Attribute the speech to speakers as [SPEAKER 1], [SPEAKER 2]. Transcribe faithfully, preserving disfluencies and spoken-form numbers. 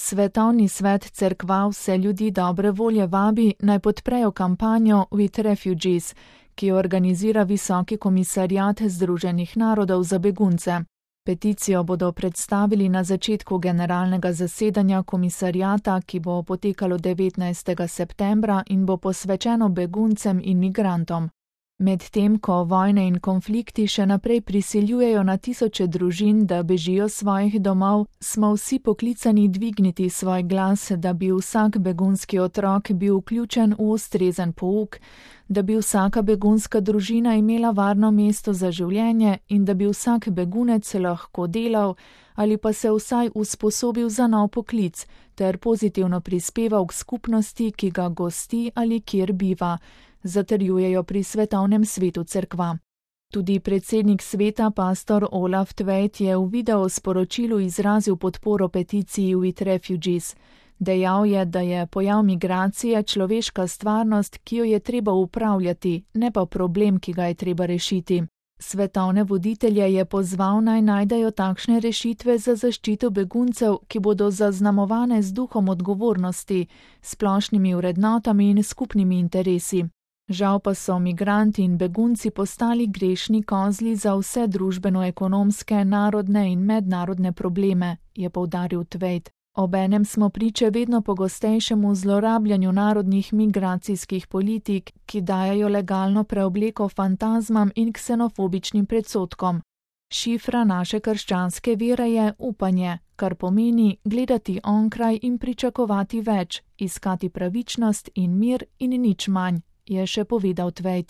[SPEAKER 1] Svetovni svet cerkva vse ljudi dobre volje vabi, naj podprejo kampanjo With Refugees, ki jo organizira Visoki komisariat Združenih narodov za begunce. Peticijo bodo predstavili na začetku generalnega zasedanja komisariata, ki bo potekalo devetnajstega septembra in bo posvečeno beguncem in migrantom. Medtem ko vojne in konflikti še naprej prisiljujejo na tisoče družin, da bežijo svojih domov, smo vsi poklicani dvigniti svoj glas, da bi vsak begunski otrok bil vključen v ustrezen pouk, da bi vsaka begunska družina imela varno mesto za življenje in da bi vsak begunec lahko delal ali pa se vsaj usposobil za nov poklic ter pozitivno prispeval k skupnosti, ki ga gosti ali kjer biva, zatrjujejo pri Svetovnem svetu cerkva. Tudi predsednik sveta, pastor Olaf Tveit, je v video sporočilu izrazil podporo peticiji With Refugees. Dejal je, da je pojav migracije človeška stvarnost, ki jo je treba upravljati, ne pa problem, ki ga je treba rešiti. Svetovne voditelje je pozval, naj najdejo takšne rešitve za zaščito beguncev, ki bodo zaznamovane z duhom odgovornosti, splošnimi vrednotami in skupnimi interesi. Žal pa so migranti in begunci postali grešni kozli za vse družbeno-ekonomske, narodne in mednarodne probleme, je poudaril Tveit. Obenem smo priče vedno pogostejšemu zlorabljanju narodnih migracijskih politik, ki dajajo legalno preobleko fantazmam in ksenofobičnim predsodkom. Šifra naše krščanske vere je upanje, kar pomeni gledati onkraj in pričakovati več, iskati pravičnost in mir in nič manj, je še povedal Tveit.